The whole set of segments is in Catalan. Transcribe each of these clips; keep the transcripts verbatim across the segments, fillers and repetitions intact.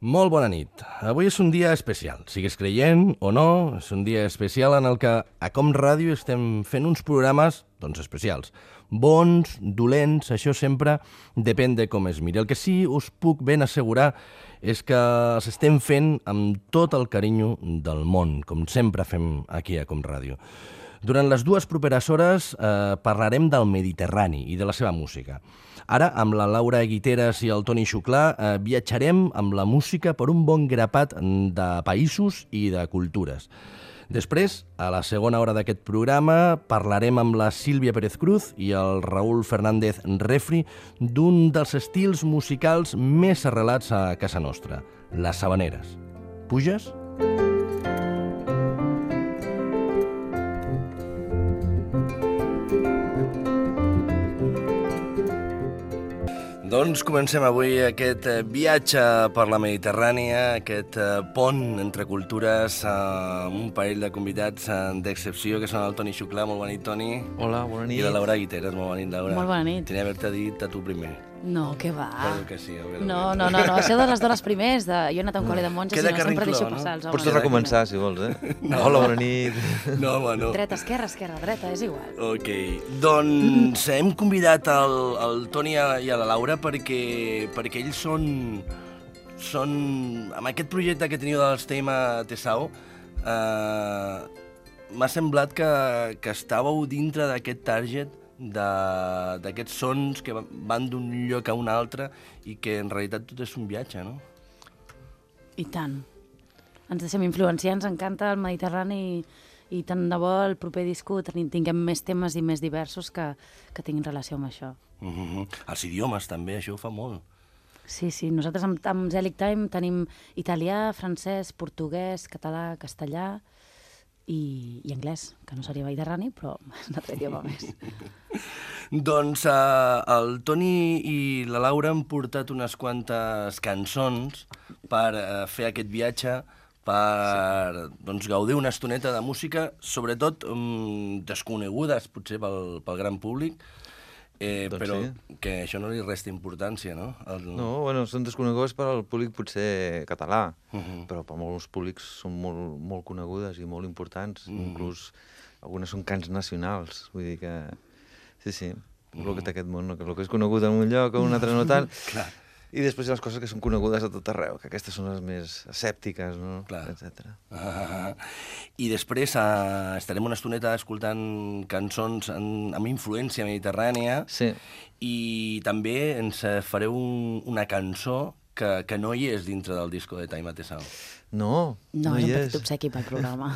Molt bona nit. Avui és un dia especial, sigues creient o no, és un dia especial en el que a Com Ràdio estem fent uns programes, doncs, especials. Bons, dolents, això sempre depèn de com es miri. El que sí us puc ben assegurar és que els estem fent amb tot el carinyo del món, com sempre fem aquí a Com Ràdio. Durant les dues properes hores eh, parlarem del Mediterrani i de la seva música. Ara, amb la Laura Guiteras i el Toni Xuclà, eh, viatjarem amb la música per un bon grapat de països i de cultures. Després, a la segona hora d'aquest programa, parlarem amb la Sílvia Pérez Cruz i el Raúl Fernández Refri d'un dels estils musicals més arrelats a casa nostra, les habaneres. Puges? Doncs comencem avui aquest viatge per la Mediterrània, aquest pont entre cultures amb un parell de convidats d'excepció, que són el Toni Xuclà. Molt bona nit, Toni. Hola, bona nit. I la Laura Guiteras. Molt bona nit, Laura. Molt bona nit. Tenia d'haver-te dit a tu primer. No, què va? Espero que sí. No, no, no, no, això de les dones primers, de... jo he anat a un col·le de monges Queda i no, sempre carrincló, deixo no? passar els homes. Pots recomençar, si vols, eh? No. Hola, bona nit. No, home, no. Dreta, esquerra, esquerra, dreta, és igual. Ok, doncs hem convidat el, el Toni i a la Laura perquè, perquè ells són, són... Amb aquest projecte que teniu dels Tema Tesao, eh, m'ha semblat que, que estàveu dintre d'aquest target d'aquests sons que van d'un lloc a un altre i que en realitat tot és un viatge, no? I tant. Ens deixem influenciar, ens encanta el Mediterrani i, i tant de bo el proper disco tinguem més temes i més diversos que, que tinguin relació amb això. Mm-hmm. Els idiomes també, això ho fa molt. Sí, sí, nosaltres amb, amb Zelig Time tenim italià, francès, portuguès, català, castellà i, i anglès, que no seria mediterrani, però és un altre idioma més. Doncs uh, el Toni i la Laura han portat unes quantes cançons per uh, fer aquest viatge, per doncs, gaudir una estoneta de música, sobretot um, desconegudes, potser pel, pel gran públic, eh, doncs però sí. Que això no li resta importància, no? El... No, bueno, són desconegudes per al públic potser català, Uh-huh. però per molts públics són molt, molt conegudes i molt importants, Uh-huh. inclús algunes són cants nacionals, vull dir que... Sí, sí, uh-huh. El que té aquest món, no? Que el que és conegut en un lloc o un altre no tant, Clar. i després hi ha les coses que són conegudes a tot arreu, que aquestes són les més escèptiques, no? Clar. Etcètera. Ah, I després uh, estarem una estoneta escoltant cançons en, amb influència mediterrània. Sí. I també ens fareu un, una cançó que, que no hi és dintre del disco de Tema Tesao. No, No, no és hi un és. petit obsequi pel programa.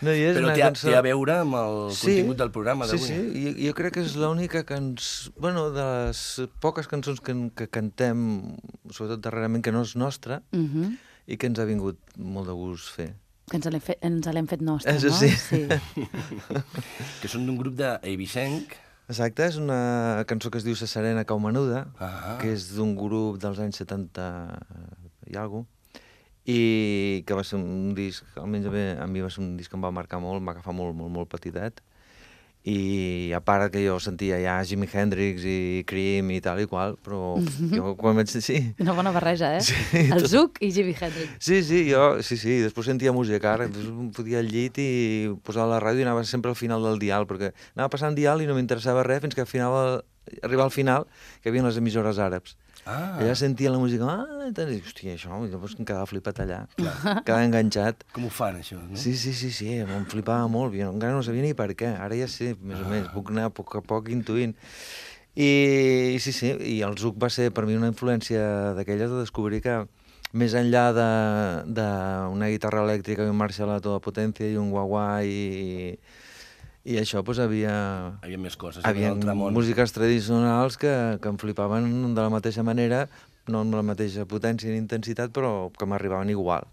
No hi és Però una té, a- cançó... té a veure amb el Sí, contingut del programa d'avui. Sí, sí, jo, jo crec que és l'única cançó... Bueno, de les poques cançons que, que cantem, sobretot darrerament, que no és nostra, Uh-huh. i que ens ha vingut molt de gust fer. Que ens l'hem fet, ens l'hem fet nostra, Això no? sí. Sí. Que són d'un grup d'Eivissenc. Exacte, és una cançó que es diu Sa Serena Cau Menuda, Ah. que és d'un grup dels anys setanta i alguna cosa, i que va ser un disc, almenys a mi, a mi va ser un disc que em va marcar molt, em va agafar molt, molt, molt petitet, i a part que jo sentia ja Jimi Hendrix i Cream i tal i qual, però jo quan vaig... Sí, Una bona barreja, eh? Sí, el tot- Zuc i Jimi Hendrix. sí, sí, jo, sí, sí, després sentia música, ara, després em fotia al llit i posava la ràdio i anava sempre al final del dial, perquè anava passant dial i no m'interessava res fins que al final, arribar al final, que hi havia les emissores àrabs. Ah, Allà sentia la música, ah, i tal, i, hòstia, això, i llavors em quedava flipat allà, quedava enganxat. com ho fan, això, no? Sí, sí, sí, sí, em flipava molt, jo encara no sabia ni per què, ara ja sé, més o menys, puc anar a poc a poc intuint. I, i sí, sí, i el Zuc va ser per mi una influència d'aquelles de descobrir que més enllà d'una guitarra elèctrica i un Marshall a tota potència i un guaguà i, i això, doncs, havia... Hi havia més coses. Hi havia altre món. músiques tradicionals que, que em flipaven de la mateixa manera, no amb la mateixa potència ni intensitat, però que m'arribaven igual.